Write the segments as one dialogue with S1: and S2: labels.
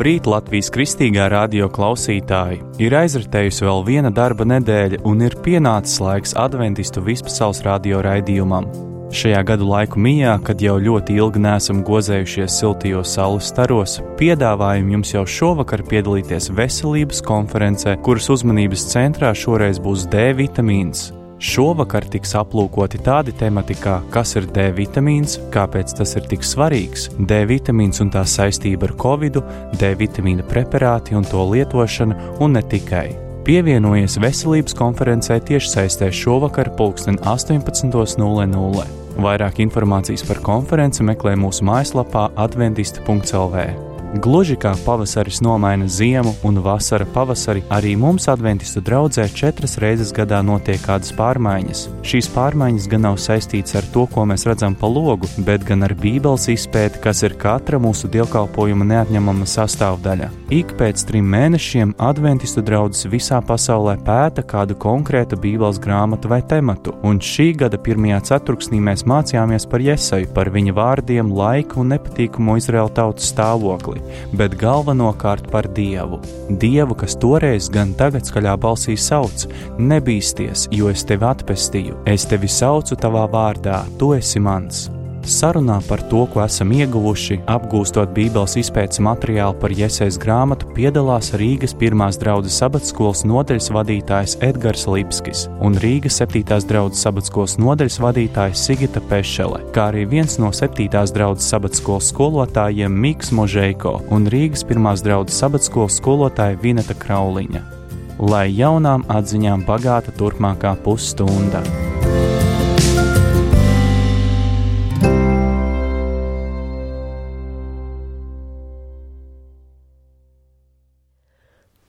S1: Labrīt, Latvijas kristīgā radio klausītāji! Ir aizritējusi vēl viena darba nedēļa un ir pienācis laiks adventistu vispasaules radio raidījumam. Šajā gadu laiku mijā, kad jau ļoti ilgi neesam gozējušies siltajos saules staros, piedāvājam jums jau šovakar piedalīties veselības konferencē, kuras uzmanības centrā šoreiz būs D vitamīns. Šovakar tiks aplūkoti tādi temati kā kas ir D vitamīns, kāpēc tas ir tik svarīgs, D vitamīns un tā saistība ar Covidu, D vitamīna preparāti un to lietošana un ne tikai. Pievienojies veselības konferencē tiešsaistē šovakar 18:00. Vairāk informācijas par konferenci meklē mūsu mājaslapā adventisti.lv. Gluži kā pavasaris nomaina ziemu un vasara pavasari, arī mums adventistu draudzē 4 reizes gadā notiek kādas pārmaiņas. Šīs pārmaiņas gan nav saistītas ar to, ko mēs redzam pa logu, bet gan ar Bībeles izpēti, kas ir katra mūsu dievkalpojuma neatņemama sastāvdaļa. Ik pēc 3 mēnešiem adventistu draudzes visā pasaulē pēta kādu konkrētu Bībeles grāmatu vai tematu, un šī gada 1. ceturksnī mēs mācījāmies par Jesaju, par viņa vārdiem, laiku un nepatīkamo Izraēla tautas stāvokli, bet galvenokārt par Dievu. Dievu, kas toreiz gan tagad skaļā balsī sauc: nebīsties, jo es tevi atpestīju, es tevi saucu tavā vārdā, tu esi mans. Sarunā par to, ko esam ieguvuši, apgūstot Bībeles izpētes materiālu par Jesajas grāmatu, piedalās Rīgas 1. draudzes sabatskolas nodaļas vadītājs Edgars Lipskis un Rīgas 7. draudzes sabatskolas nodaļas vadītājs Sigita Pešele, kā arī viens no 7. draudzes sabatskolas skolotājiem Miks Možeiko un Rīgas 1. draudzes sabatskolas skolotāja Vineta Krauliņa. Lai jaunām atziņām bagāta turpmākā pusstunda.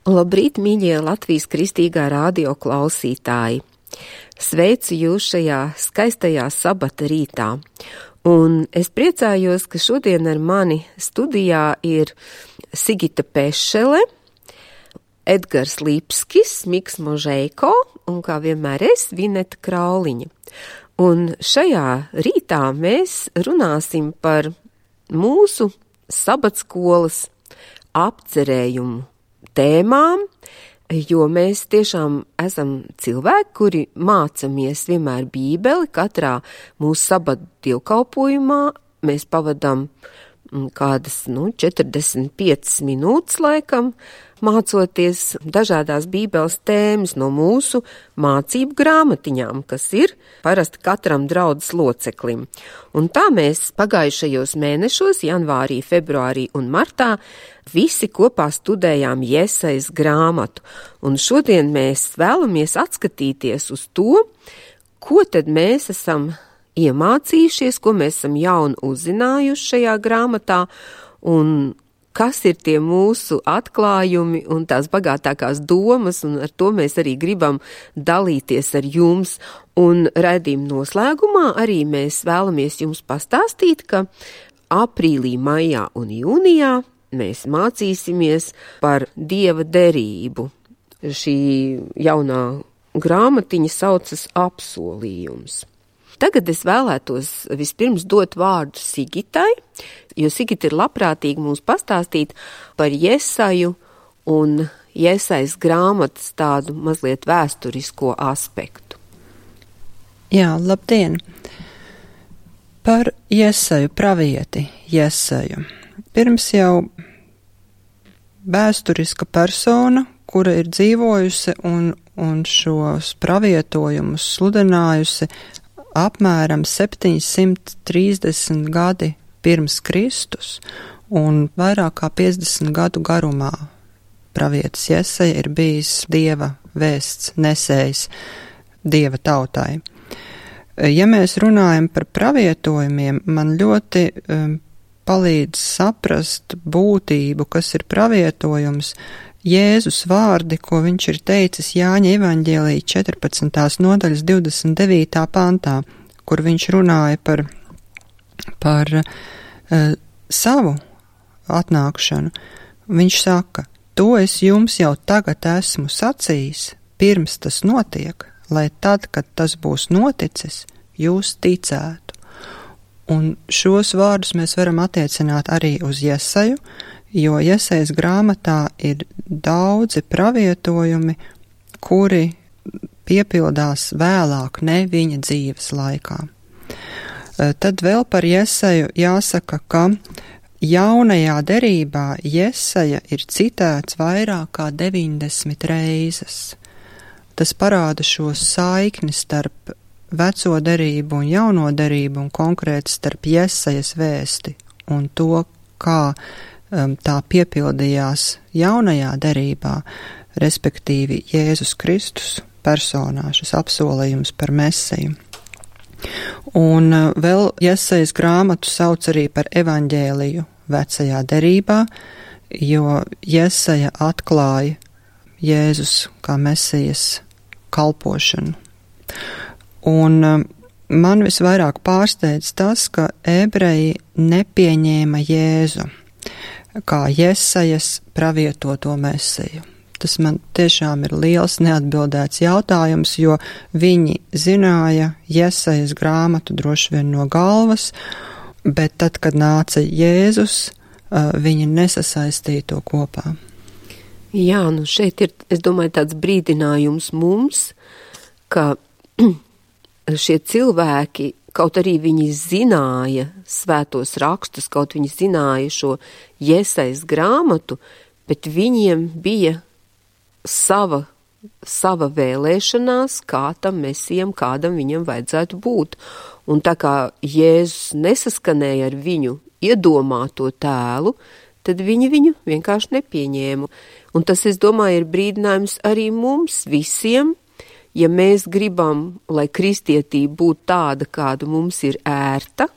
S2: Labrīt, mīļie Latvijas kristīgā radio klausītāji! Sveicu jūs šajā skaistajā sabata rītā. Un es priecājos, ka šodien ar mani studijā ir Sigita Pešele, Edgars Lipskis, Miks Možeiko un kā vienmēr es, Vineta Krauliņa. Un šajā rītā mēs runāsim par mūsu sabatskolas apcerējumu tēmām, jo mēs tiešām esam cilvēki, kuri mācamies vienmēr Bībeli. Katrā mūsu sabata dievkalpojumā mēs pavadām kādas 45 minūtes laikam, mācoties dažādās Bībeles tēmas no mūsu mācību grāmatiņām, kas ir parasti katram draudzes loceklim. Un tā mēs pagājušajos mēnešos, janvārī, februārī un martā, visi kopā studējām Jesajas grāmatu. Un šodien mēs vēlamies atskatīties uz to, ko tad mēs esam iemācījušies, ko mēs esam jaunu uzzinājuši šajā grāmatā, un kas ir tie mūsu atklājumi un tās bagātākās domas, un ar to mēs arī gribam dalīties ar jums. Un raidījuma noslēgumā arī mēs vēlamies jums pastāstīt, ka aprīlī, maijā un jūnijā mēs mācīsimies par Dieva derību. Šī jaunā grāmatiņa saucas Apsolījums. Tagad es vēlētos vispirms dot vārdu Sigitai, jo Sigita ir labprātīgi mums pastāstīt par Jesaju un Jesajas grāmatas tādu mazliet vēsturisko aspektu.
S3: Jā, labdien! Par Jesaju, pravieti Jesaju. Pirms jau vēsturiska persona, kura ir dzīvojusi un šos pravietojumus sludinājusi apmēram 730 gadi pirms Kristus un vairāk kā 50 gadu garumā. Pravietis Jesaja ir bijis Dieva vēsts nesējs Dieva tautai. Ja mēs runājam par pravietojumiem, man ļoti palīdz saprast būtību, kas ir pravietojums, Jēzus vārdi, ko viņš ir teicis Jāņa evaņģēlija 14. nodaļas 29. pantā, kur viņš runāja par savu atnākšanu. Viņš saka: to es jums jau tagad esmu sacījis, pirms tas notiek, lai tad, kad tas būs noticis, jūs ticētu. Un šos vārdus mēs varam attiecināt arī uz Jesaju, jo Jesajas grāmatā ir daudzi pravietojumi, kuri piepildās vēlāk, ne viņa dzīves laikā. Tad vēl par Jesaju jāsaka, ka jaunajā derībā Jesaja ir citēts vairāk kā 90 reizes. Tas parāda šo saikni starp veco derību un jauno derību un konkrēti starp Jesajas vēsti un to, kā tā piepildījās jaunajā derībā, respektīvi Jēzus Kristus personā, šis apsolījums par Mesiju. Un vēl Jesajas grāmatu sauc arī par evaņģēliju vecajā derībā, jo Jesaja atklāja Jēzus kā Mesijas kalpošanu. Un man visvairāk pārsteidz tas, ka ebreji nepieņēma Jēzu kā Jesajas pravietoto Mesiju. Tas man tiešām ir liels neatbildēts jautājums, jo viņi zināja Jesajas grāmatu droši vien no galvas, bet tad, kad nāca Jēzus, viņi nesasaistīja to kopā.
S2: Jā, nu šeit ir, es domāju, tāds brīdinājums mums, ka šie cilvēki, kaut arī viņi zināja svētos rakstus, kaut viņi zināja šo Jesajas grāmatu, bet viņiem bija sava vēlēšanās, kā tam mesijam, kādam viņam vajadzētu būt. Un tā kā Jēzus nesaskanēja ar viņu iedomāto tēlu, tad viņi viņu vienkārši nepieņēma. Un tas, es domāju, ir brīdinājums arī mums visiem, ja mēs gribam, lai kristietība būtu tāda, kāda mums ir ērta,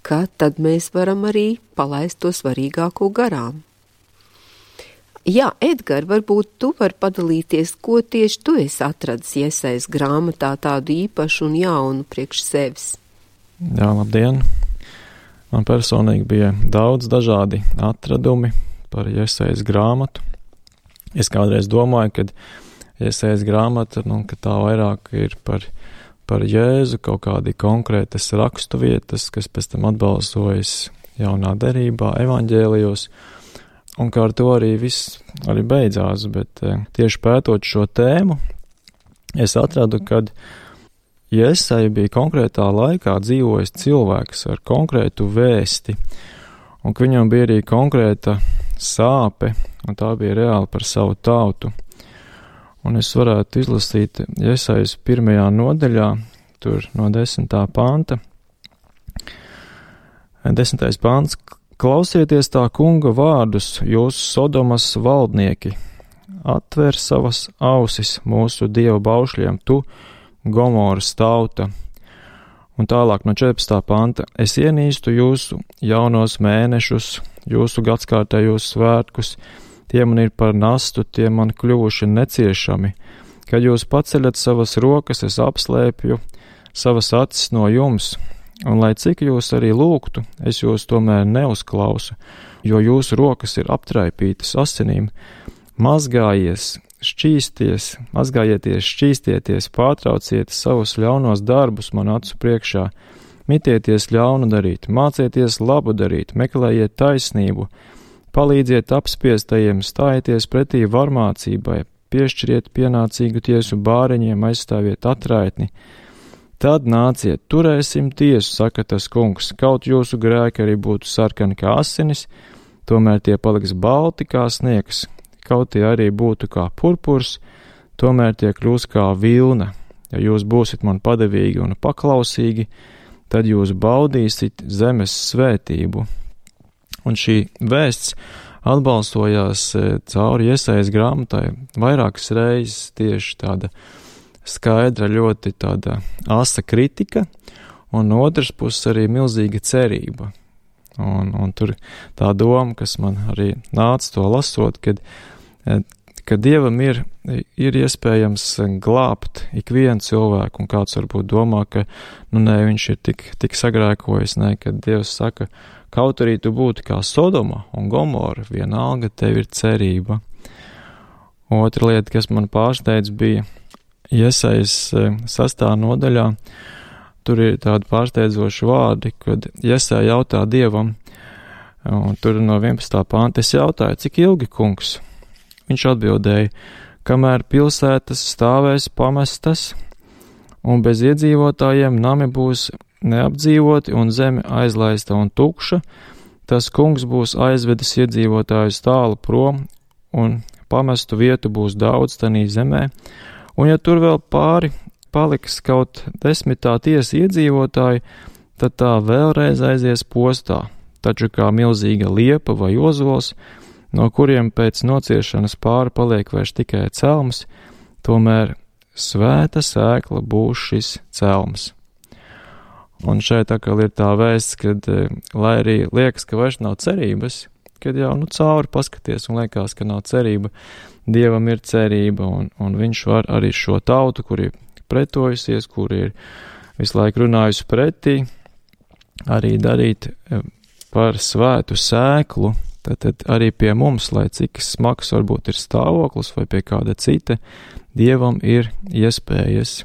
S2: ka tad mēs varam arī palaist to svarīgāko garām. Jā, Edgar, varbūt tu vari padalīties, ko tieši tu esi atradis Jesajas grāmatā tādu īpašu un jaunu priekš sevis.
S4: Jā, labdien! Man personīgi bija daudz dažādi atradumi par Jesajas grāmatu. Es kādreiz domāju, ka Jesajas grāmata, ka tā vairāk ir par Jēzu, kaut kādi konkrētas raksturvietas, kas pēc tam atbalsojas jaunā derībā, evaņģēlijos. Un kā ar to arī viss arī beidzās, bet tieši pētot šo tēmu, es atradu, ka Jesaja bija konkrētā laikā dzīvojis cilvēks ar konkrētu vēsti, un ka viņam bija arī konkrēta sāpe, un tā bija reāli par savu tautu. Un es varētu izlasīt Jesajas 1. nodaļā, tur no 10. panta. 10. pants. Klausieties tā kunga vārdus, jūs Sodomas valdnieki, atver savas ausis mūsu dievu baušļiem, tu, Gomoras tauta. Un tālāk no 14. panta, es ienīstu jūsu jaunos mēnešus, jūsu gadskārtējos svētkus, tie man ir par nastu, tie man kļuvuši neciešami. Kad jūs paceļat savas rokas, es apslēpju savas acis no jums. Un lai cik jūs arī lūgtu, es jūs tomēr neuzklausu, jo jūsu rokas ir aptraipītas asinīm. Mazgājieties, šķīstieties, pārtrauciet savus ļaunos darbus man acu priekšā, mitieties ļaunu darīt, mācieties labu darīt, meklējiet taisnību, palīdziet apspiestajiem, stājieties pretī varmācībai, piešķiriet pienācīgu tiesu bāreņiem, aizstāviet atraitni. Tad nāciet, turēsim tiesu, saka tas kungs, kaut jūsu grēki arī būtu sarkani kā asinis, tomēr tie paliks balti kā sniegs, kaut tie arī būtu kā purpurs, tomēr tie kļūs kā vilna. Ja jūs būsit man padevīgi un paklausīgi, tad jūs baudīsit zemes svētību. Un šī vēsts atbalstojās cauri Jesajas grāmatai vairākas reizes tieši tāda skaidra, ļoti tāda asa kritika, un no otras puses arī milzīga cerība. Un tur tā doma, kas man arī nāca to lasot, ka Dievam ir iespējams glābt ikvienu cilvēku, un kāds varbūt domā, ka viņš ir tik sagrēkojis, kad Dievs saka, kaut arī tu būtu kā Sodoma un Gomora, vienalga tev ir cerība. Otra lieta, kas man pārsteidz, bija Jesajas 6. nodaļā, tur ir tādi pārsteidzoši vārdi, kad Jesaja jautā Dievam, Un tur no 11. panta es jautāju, cik ilgi, kungs? Viņš atbildēja, kamēr pilsētas stāvēs pamestas, un bez iedzīvotājiem nami būs neapdzīvoti un zeme aizlaista un tukša, tas kungs būs aizvedis iedzīvotājus tālu prom, un pamestu vietu būs daudz tanī zemē, un ja tur vēl pāri paliks kaut 10 tiesa iedzīvotāji, tad tā vēlreiz aizies postā, taču kā milzīga liepa vai ozols, no kuriem pēc nociešanas pāri paliek vairs tikai celms, tomēr svēta sēkla būs šis celms. Un šeit atkal ir tā vēsts, kad, lai arī liekas, ka vairs nav cerības, kad jau cauri paskaties un liekas, ka nav cerība, Dievam ir cerība, un viņš var arī šo tautu, kur ir pretojusies, kur ir visu laiku runājusi pretī, arī darīt par svētu sēklu, tad arī pie mums, lai cik smags varbūt ir stāvoklis vai pie kāda cita, Dievam ir iespējas.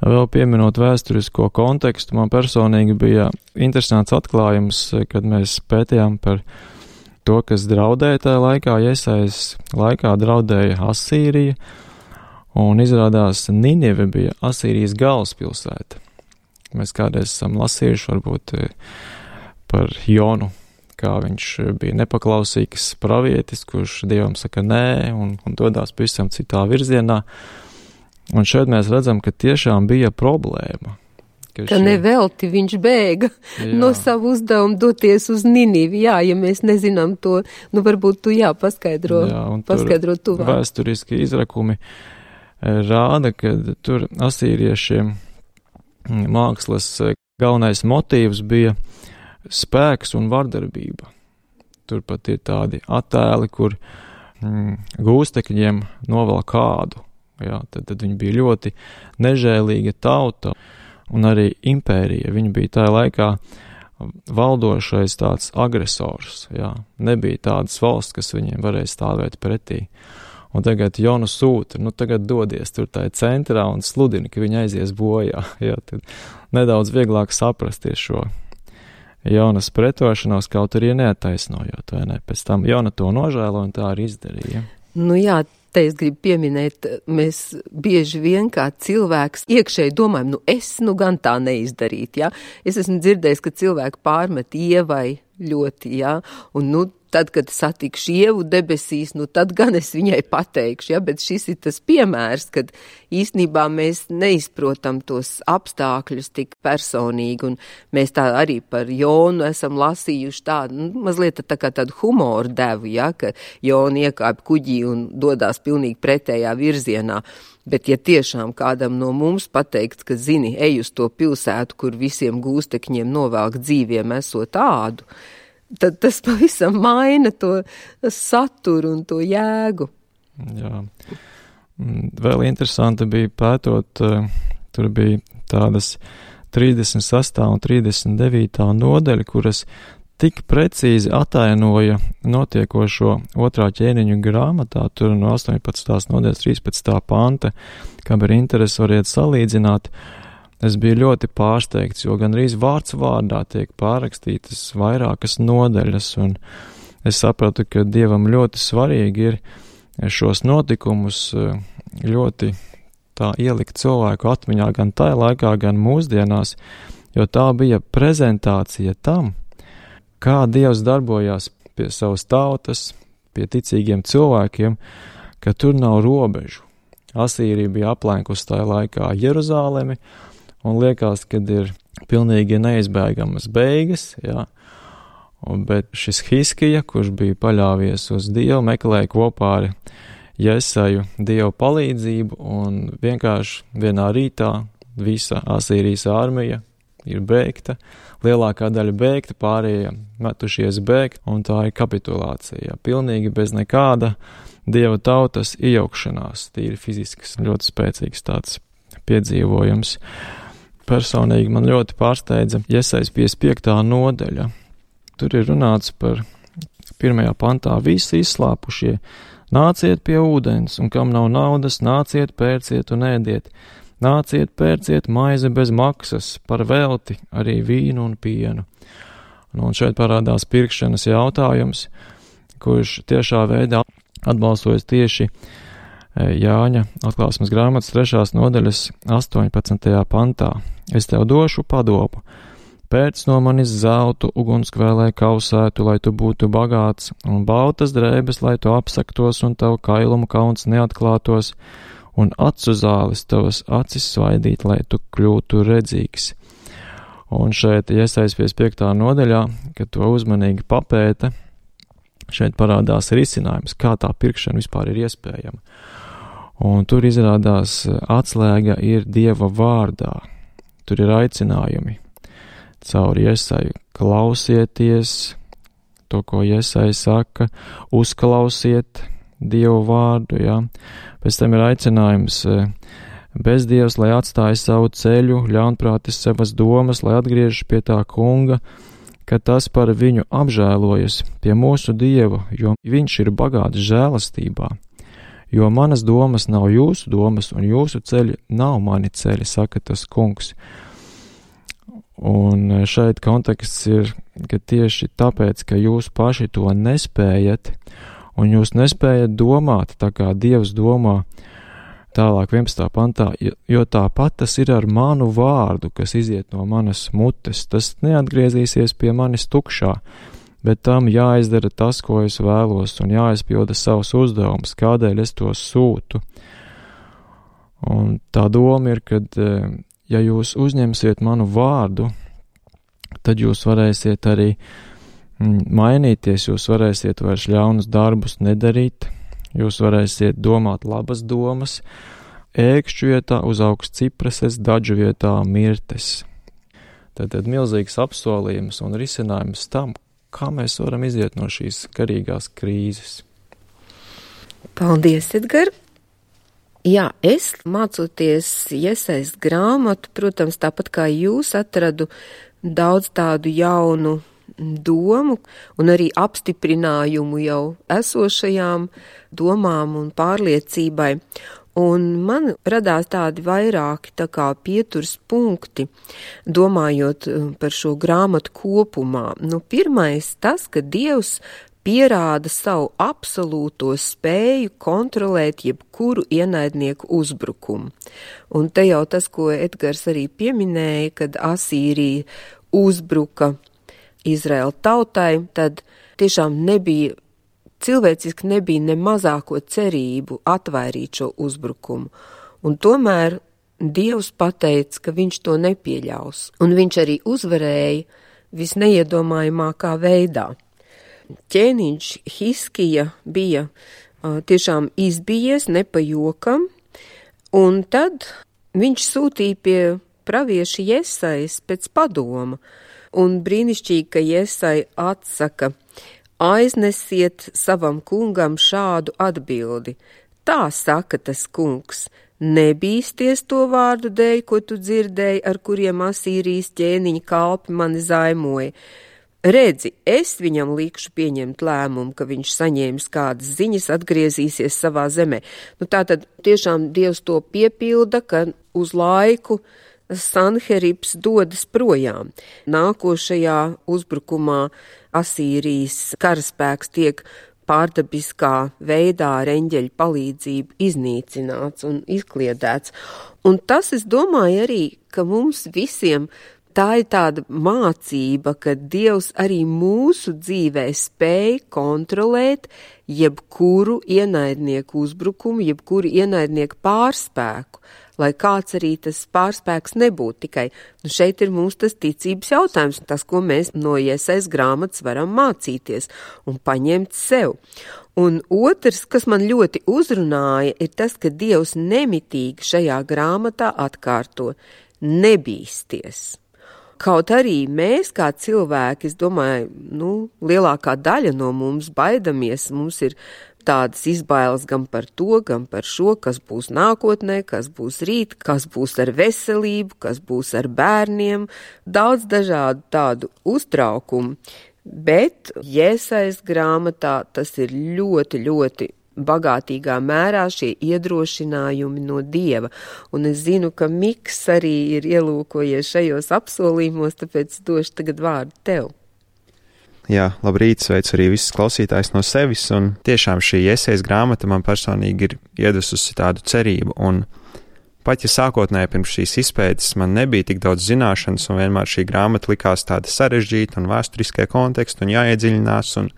S4: Vēl pieminot vēsturisko kontekstu, man personīgi bija interesants atklājums, kad mēs pētījām par to, kas draudēja tajā laikā. Jesajas laikā draudēja Asīrija, un izrādās Ninive bija Asīrijas galvaspilsēta. Mēs kādreiz esam lasījuši varbūt par Jonu, kā viņš bija nepaklausīgs pravietis, kurš Dievam saka nē un dodās pavisam citā virzienā. Un šeit mēs redzam, ka tiešām bija problēma.
S2: Ka nevelti viņš bēga no savu uzdevumu doties uz Ninivi. Jā, ja mēs nezinām to, varbūt tu paskaidro tuvāk.
S4: Vēsturiski izrakumi rāda, ka tur asīriešiem mākslas galvenais motīvs bija spēks un vardarbība. Tur pat ir tādi attēli, kur gūstekņiem novēl kādu. Jā, tad viņi bija ļoti nežēlīga tauta un arī impērija. Viņi bija tajā laikā valdošais tāds agresors. Jā. Nebija tādas valsts, kas viņiem varēja stāvēt pretī. Un tagad Jonu sūta, tagad dodies tur tajā centrā un sludina, ka viņi aizies bojā. Jā, tad nedaudz vieglāk saprasties šo Jonas pretošanos, kaut arī neataisnojot, vai ne? Pēc tam Jona to nožēlo un tā arī izdarīja.
S2: Jā, te es gribu pieminēt, mēs bieži vien kā cilvēks iekšēji domājam, es gan tā neizdarīt, jā. Es esmu dzirdējis, ka cilvēki pārmet Ievai ļoti, jā, un tad, kad satikšu Ievu debesīs, tad gan es viņai pateikšu, jā, bet šis ir tas piemērs, kad īstenībā mēs neizprotam tos apstākļus tik personīgi, un mēs tā arī par Jonu esam lasījuši tādu, mazliet tā kā tādu humoru devu, jā, ka Jona iekāp kuģī un dodās pilnīgi pretējā virzienā. Bet ja tiešām kādam no mums pateikt, ka zini, ej uz to pilsētu, kur visiem gūstekņiem novelk dzīviem esot ādu, tad tas pavisam maina to saturu un to jēgu.
S4: Jā. Vēl interesanti bija pētot, tur bija tādas 36. un 39. nodaļa, kuras tik precīzi atainoja notiekošo 2. ķēniņu grāmatā, tur no 18. nodaļas 13. panta, kam ir interesi variet salīdzināt. Es biju ļoti pārsteigts, jo gandrīz vārds vārdā tiek pārrakstītas vairākas nodaļas, un es sapratu, ka Dievam ļoti svarīgi ir šos notikumus ļoti tā ielikt cilvēku atmiņā gan tajā laikā, gan mūsdienās, jo tā bija prezentācija tam, kā Dievs darbojās pie savas tautas, pie ticīgiem cilvēkiem, ka tur nav robežu. Asīrija bija aplenkusi tajā laikā Jeruzālemi, un liekas, kad ir pilnīgi neizbēgamas beigas, jā. Bet šis Hiskija, kurš bija paļāvies uz Dievu, meklēja kopā ar Jesaju Dievu palīdzību, un vienkārši vienā rītā visa Asīrijas armija ir bēgta, lielākā daļa bēgta, pārējie metušies bēgt, un tā ir kapitulācija, pilnīgi bez nekāda Dieva tautas iejaukšanās, tīri fizisks, ļoti spēcīgs tāds piedzīvojums. Personīgi man ļoti pārsteidza Jesajas 55. nodaļa. Tur ir runāts par 1. pantā visi izslāpušie, nāciet pie ūdens, un kam nav naudas, nāciet, pērciet un ēdiet. Nāciet, pērciet maizi bez maksas, par velti arī vīnu un pienu. Un šeit parādās pirkšanas jautājums, kurš tiešā veidā atbalstojas tieši Jāņa atklāsmes grāmatas 3. nodaļas 18. pantā. Es tev došu padomu, pēc no manis zeltu ugunskvēlē kausētu, lai tu būtu bagāts, un baltas drēbes, lai tu apsaktos, un tavu kailumu kauns neatklātos, un acu zāles tavas acis svaidīt, lai tu kļūtu redzīgs. Un šeit Jesajas 55. nodaļā, kad to uzmanīgi papēta, šeit parādās risinājums, kā tā pirkšana vispār ir iespējama. Un tur izrādās atslēga ir Dieva vārdā. Tur ir aicinājumi caur Jesaju klausieties to, ko Jesaja saka, uzklausiet Dievu vārdu, jā. Pēc tam ir aicinājums bezdievs, lai atstāja savu ceļu, ļaunprātis savas domas, lai atgriežas pie tā kunga, ka tas par viņu apžēlojas pie mūsu Dieva, jo viņš ir bagāts žēlastībā. Jo manas domas nav jūsu domas, un jūsu ceļi nav mani ceļi, saka tas kungs. Un šeit konteksts ir, ka tieši tāpēc, ka jūs paši to nespējat, un jūs nespējat domāt tā kā Dievs domā, tālāk 11. pantā, jo tāpat tas ir ar manu vārdu, kas iziet no manas mutes, tas neatgriezīsies pie manis tukšā, bet tam jāizdara tas, ko es vēlos, un jāizpilda savus uzdevumus, kādēļ es to sūtu. Un tā doma ir, kad, ja jūs uzņemsiet manu vārdu, tad jūs varēsiet arī mainīties, jūs varēsiet vairs ļaunus darbus nedarīt, jūs varēsiet domāt labas domas, ēkšķu vietā uzaugs cipreses, dažu vietā mirtes. Tad milzīgs apsolījums un risinājums tam, kā mēs varam iziet no šīs garīgās krīzes.
S2: Paldies, Edgar! Jā, es mācoties Jesajas grāmatu, protams, tāpat kā jūs, atradu daudz tādu jaunu domu un arī apstiprinājumu jau esošajām domām un pārliecībai. Un man radās tādi vairāki tā kā pieturs punkti, domājot par šo grāmatu kopumā. Pirmais tas, ka Dievs pierāda savu absolūto spēju kontrolēt jebkuru ienaidnieku uzbrukumu. Un te jau tas, ko Edgars arī pieminēja, kad Asīrija uzbruka Izraēla tautai, tad tiešām cilvēciski nebija ne mazāko cerību atvairīt šo uzbrukumu. Un tomēr Dievs pateica, ka viņš to nepieļaus. Un viņš arī uzvarēja visneiedomājamākā veidā. Ķēniņš Hiskija bija tiešām izbijies, ne pa jokam, un tad viņš sūtīja pie pravieša Jesajas pēc padoma. Un brīnišķīgi, ka Jesaja atsaka: aiznesiet savam kungam šādu atbildi. Tā saka tas kungs, nebīsties to vārdu dēļ, ko tu dzirdēji, ar kuriem Asīrijas ķēniņa kalpi mani zaimoja. Redzi, es viņam likšu pieņemt lēmumu, ka viņš saņēmis kādas ziņas, atgriezīsies savā zemē. Tātad tiešām Dievs to piepilda, ka uz laiku Sanheribs dodas projām. Nākošajā uzbrukumā Asīrijas karaspēks tiek pārdabiskā veidā ar eņģeļu palīdzību iznīcināts un izkliedēts. Un tas, es domāju arī, ka mums visiem tā ir tāda mācība, ka Dievs arī mūsu dzīvē spēj kontrolēt jebkuru ienaidnieku uzbrukumu, jebkuru ienaidnieku pārspēku, lai kāds arī tas pārspēks nebūtu. Tikai šeit ir mums tas ticības jautājums, tas, ko mēs no Jesajas grāmatas varam mācīties un paņemt sev. Un otrs, kas man ļoti uzrunāja, ir tas, ka Dievs nemitīgi šajā grāmatā atkārto: nebīsties. Kaut arī mēs, kā cilvēki, es domāju, lielākā daļa no mums baidamies, mums ir tādas izbailes gan par to, gan par šo, kas būs nākotnē, kas būs rīt, kas būs ar veselību, kas būs ar bērniem, daudz dažādu tādu uztraukumu. Bet Jesajas grāmatā tas ir ļoti, ļoti bagātīgā mērā šie iedrošinājumi no Dieva. Un es zinu, ka Miks arī ir ielūkojies šajos apsolījumos, tāpēc došu tagad vārdu tev.
S5: Jā, labrīt, sveicu arī visus klausītājus no sevis, un tiešām šī esejas grāmata man personīgi ir iedususi tādu cerību, un pat ja sākotnēji pirms šīs izpētes man nebija tik daudz zināšanas, un vienmēr šī grāmata likās tāda sarežģīta un vēsturiskai kontekstu, un jāiedziļinās, un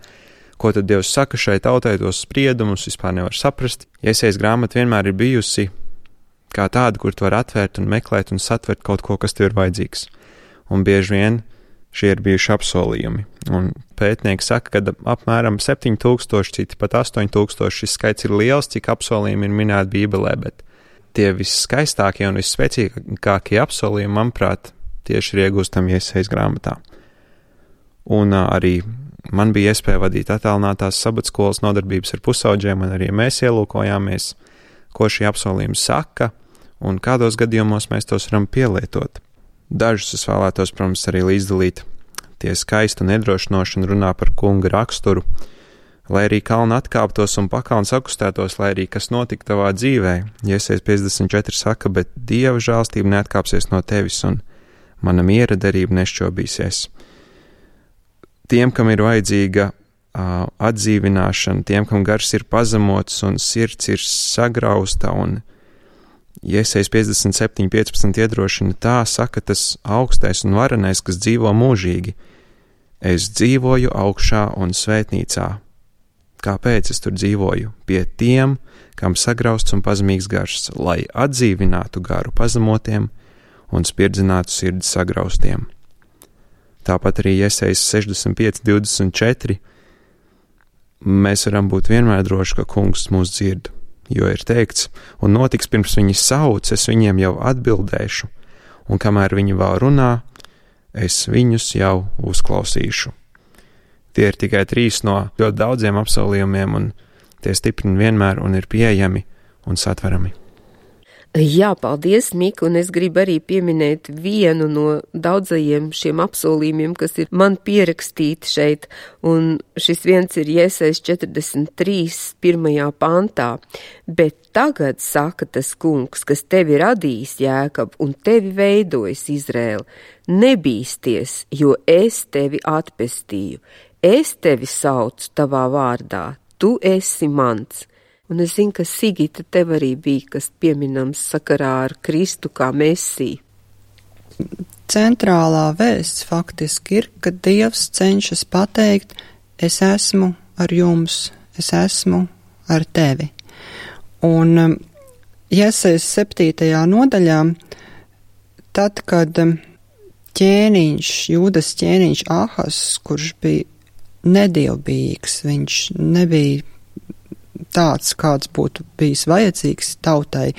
S5: ko tad Dievs saka šai tautai, tos spriedumus vispār nevar saprast. Esejas grāmata vienmēr ir bijusi kā tāda, kur tu var atvērt un meklēt un satvert kaut ko, kas tev ir vajadzīgs. Un bieži vien šie ir bijuši apsolījumi, un pētnieki saka, ka apmēram 7000, citi pat 8000 šis skaits ir liels, cik apsolījumi ir minēti Bībelē, bet tie visskaistākie un visspēcīgākie apsolījumi, manuprāt, tieši ir iegūstami Esejas grāmatā. Un arī man bija iespēja vadīt attālinātās sabatskolas nodarbības ar pusauģiem, un arī mēs ielūkojāmies, ko šie apsolījumi saka, un kādos gadījumos mēs tos varam pielietot. Dažus es vēlētos, protams, arī līdzdalīt. Tie skaisti un iedrošinoši un runā par kunga raksturu, lai arī kalni atkāptos un pakalni sakustētos, lai arī kas notika tavā dzīvē. Esejas 54 saka, bet Dieva žēlstība neatkāpsies no tevis un mana miera derība nešķobīsies. Tiem, kam ir vajadzīga atdzīvināšana, tiem, kam gars ir pazemots un sirds ir sagrausta un Esejas 57.15 iedrošina tā, saka tas augstais un varenais, kas dzīvo mūžīgi. Es dzīvoju augšā un svētnīcā. Kāpēc es tur dzīvoju? Pie tiem, kam sagrausts un pazemīgs gars, lai atdzīvinātu garu pazemotiem un spirdzinātu sirdi sagraustiem. Tāpat arī Esejas 65.24 mēs varam būt vienmēr droši, ka kungs mūs dzird. Jo ir teikts, un notiks pirms viņi sauc, es viņiem jau atbildēšu, un kamēr viņi vēl runā, es viņus jau uzklausīšu. Tie ir tikai 3 no ļoti daudziem apsolījumiem, un tie stiprina vienmēr un ir pieejami un satverami.
S2: Jā, paldies, Mika, un es gribu arī pieminēt vienu no daudzajiem šiem apsolījumiem, kas ir man pierakstīti šeit, un šis viens ir Esejas 43. 1. pantā. Bet tagad saka tas kungs, kas tevi radījis, Jēkab, un tevi veidojis, Izrēl, nebīsties, jo es tevi atpestīju, es tevi saucu tavā vārdā, tu esi mans. Un es zinu, ka Sigita tev arī bija, kas pieminams sakarā ar Kristu kā Mesiju.
S3: Centrālā vēsts faktiski ir, ka Dievs cenšas pateikt, es esmu ar jums, es esmu ar tevi. Un Esejas 7. nodaļā, tad, kad Jūdas ķēniņš Ahas, kurš bija nedievbijīgs, viņš nebija tāds, kāds būtu bijis vajadzīgs tautai,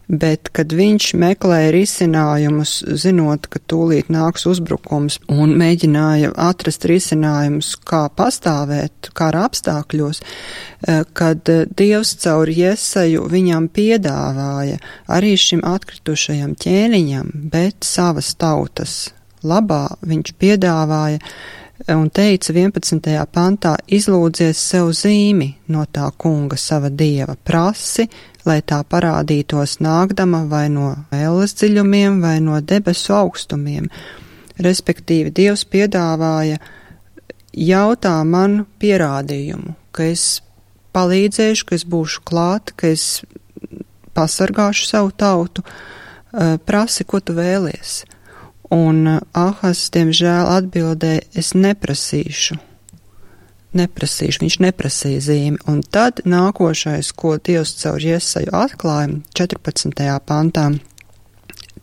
S3: bet kad viņš meklēja risinājumus, zinot, ka tūlīt nāks uzbrukums, un mēģināja atrast risinājumus, kā pastāvēt kara apstākļos, kad Dievs caur Jeseju viņam piedāvāja arī šim atkritušajam ķēniņam, bet savas tautas labā viņš piedāvāja un teica 11. pantā, izlūdzies sev zīmi no tā kunga sava dieva, prasi, lai tā parādītos nākdama vai no elles dziļumiem vai no debesu augstumiem. Respektīvi, Dievs piedāvāja, jautā man pierādījumu, ka es palīdzēšu, ka es būšu klāt, ka es pasargāšu savu tautu, prasi, ko tu vēlies. Un Ahas, diemžēl, atbildēja, es neprasīšu, viņš neprasīja zīmi. Un tad nākošais, ko Dievs caur Jeseju atklāja, 14. pantā,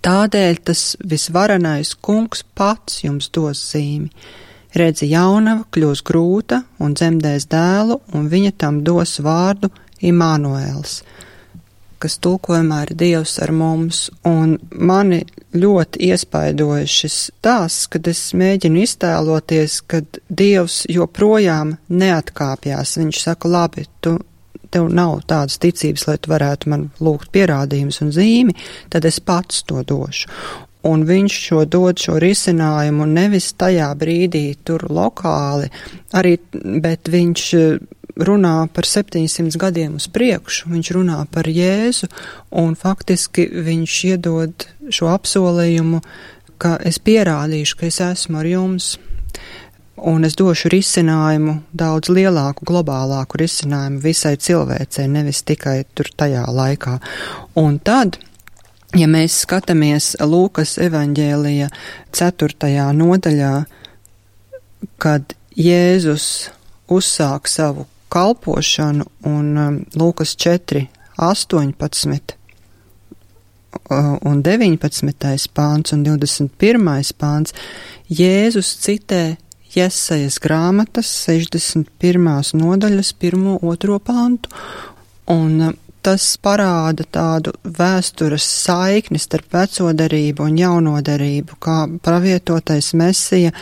S3: tādēļ tas visvarenais kungs pats jums dos zīmi. Redzi, jaunava kļūs grūta un dzemdēs dēlu, un viņa tam dos vārdu Imānuēls, kas tulkojumā ir Dievs ar mums, un mani ļoti iespaidoja šis stāsts, kad es mēģinu iztēloties, kad Dievs joprojām neatkāpjās. Viņš saka, labi, tev nav tādas ticības, lai tu varētu man lūgt pierādījumus un zīmi, tad es pats to došu. Un viņš dod šo risinājumu nevis tajā brīdī tur lokāli, bet viņš runā par 700 gadiem uz priekšu, viņš runā par Jēzu, un faktiski viņš iedod šo apsolījumu, ka es pierādīšu, ka es esmu ar jums. un es došu risinājumu, daudz lielāku, globālāku risinājumu visai cilvēcei, nevis tikai tur tajā laikā. Un tad, ja mēs skatāmies Lūkas evaņģēlija 4. nodaļā, kad Jēzus uzsāk savu kalpošanu, un Lūkas 4, 18 un 19. pāns un 21. pāns, Jēzus citē Jesajas grāmatas 61. nodaļas 1, 2 pāntu, un tas parāda tādu vēstures saikni starp veco derību un jauno derību, kā pravietotais Mesija,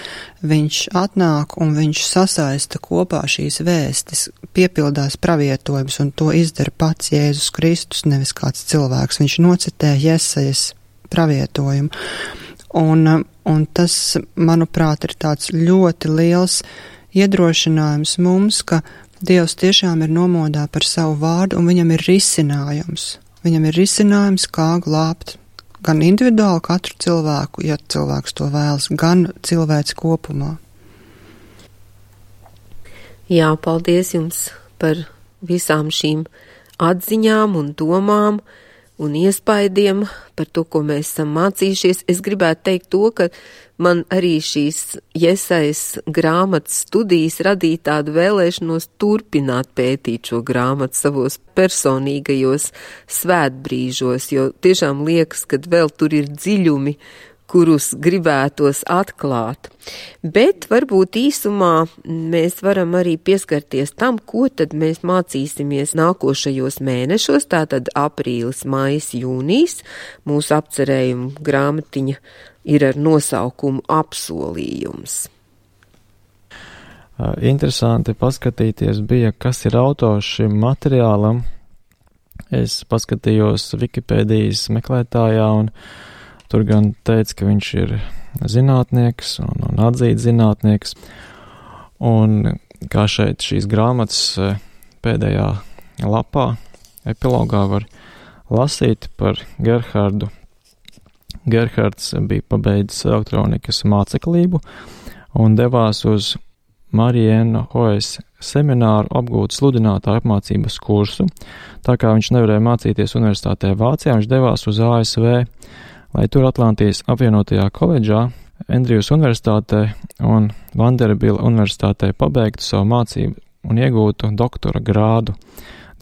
S3: viņš atnāk un viņš sasaista kopā šīs vēstis, piepildās pravietojums, un to izdara pats Jēzus Kristus, nevis kāds cilvēks. Viņš nocitē Jesajas pravietojumu. Un tas, manuprāt, ir tāds ļoti liels iedrošinājums mums, ka Dievs tiešām ir nomodā par savu vārdu, un viņam ir risinājums. Viņam ir risinājums, kā glābt gan individuāli katru cilvēku, ja cilvēks to vēlas, gan cilvēks kopumā.
S2: Jā, paldies jums par visām šīm atziņām un domām un iespaidiem par to, ko mēs esam mācījušies. Es gribētu teikt to, ka man arī šīs Jesajas grāmatas studijas radīja tādu vēlēšanos turpināt pētīt šo grāmatu savos personīgajos svētbrīžos, jo tiešām liekas, ka vēl tur ir dziļumi, kurus gribētos atklāt. Bet varbūt īsumā mēs varam arī pieskarties tam, ko tad mēs mācīsimies nākošajos mēnešos, tātad aprīlis, maijs, jūnijs. Mūsu apcerējuma grāmatiņa ir ar nosaukumu Apsolījums.
S4: Interesanti paskatīties bija, kas ir autors šim materiālam. Es paskatījos Wikipēdijas meklētājā, un tur gan teica, ka viņš ir zinātnieks un atzīts zinātnieks. Un kā šeit šīs grāmatas pēdējā lapā, epilogā var lasīt par Gerhardu. Gerhards bija pabeidzis elektronikas māceklību un devās uz Marienu Hoes semināru apgūt sludinātāju apmācības kursu. Tā kā viņš nevarēja mācīties universitātē Vācijā, viņš devās uz ASV, lai tur Atlantijas apvienotajā koledžā, Andrijas universitātē un Vanderbilt universitātē pabeigtu savu mācību un iegūtu doktora grādu.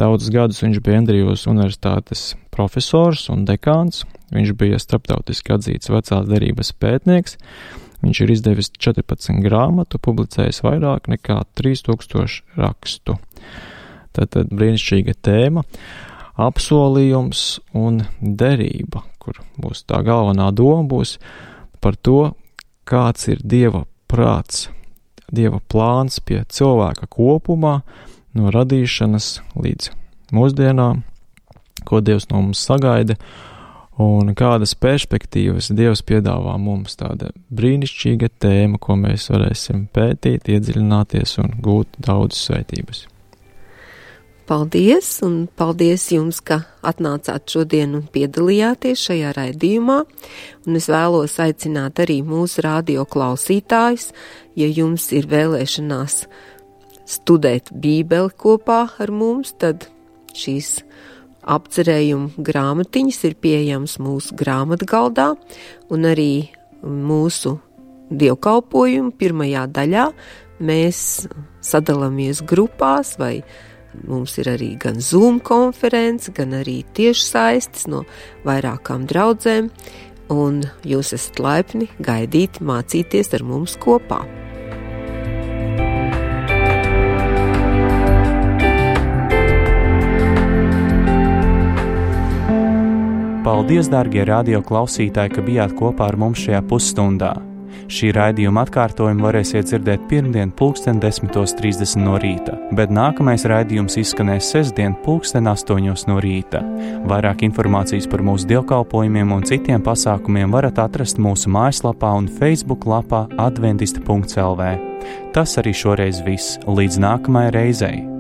S4: Daudzus gadus viņš bija Andrijas universitātes profesors un dekāns, viņš bija starptautiski atzīts vecās derības pētnieks, viņš ir izdevis 14 grāmatu, publicējis vairāk nekā 3000 rakstu. Tātad brīnišķīga tēma. Apsolījums un derība, kur būs tā galvenā doma, būs par to, kāds ir Dieva prāts, Dieva plāns pie cilvēka kopumā, no radīšanas līdz mūsdienām, ko Dievs no mums sagaida, un kādas perspektīvas Dievs piedāvā mums. Tāda brīnišķīga tēma, ko mēs varēsim pētīt, iedziļināties un gūt daudz svētības.
S2: Paldies, un paldies jums, ka atnācāt šodien un piedalījāties šajā raidījumā, un es vēlos aicināt arī mūsu radio klausītājus, ja jums ir vēlēšanās studēt Bībeli kopā ar mums, tad šīs apcerējuma grāmatiņas ir pieejams mūsu grāmatgaldā, un arī mūsu dievkalpojumu pirmajā daļā mēs sadalāmies grupās vai mums ir arī gan Zoom konference, gan arī tiešsaistes no vairākām draudzēm, un jūs esat laipni gaidīti mācīties ar mums kopā.
S1: Paldies, dārgie radio klausītāji, ka bijāt kopā ar mums šajā pusstundā. Šī raidījuma atkārtojumu varēsiet dzirdēt pirmdien 10:30 no rīta, bet nākamais raidījums izskanēs sestdien 8:00 no rīta. Vairāk informācijas par mūsu dievkalpojumiem un citiem pasākumiem varat atrast mūsu mājaslapā un Facebook lapā adventista.lv. Tas arī šoreiz viss. Līdz nākamajai reizei!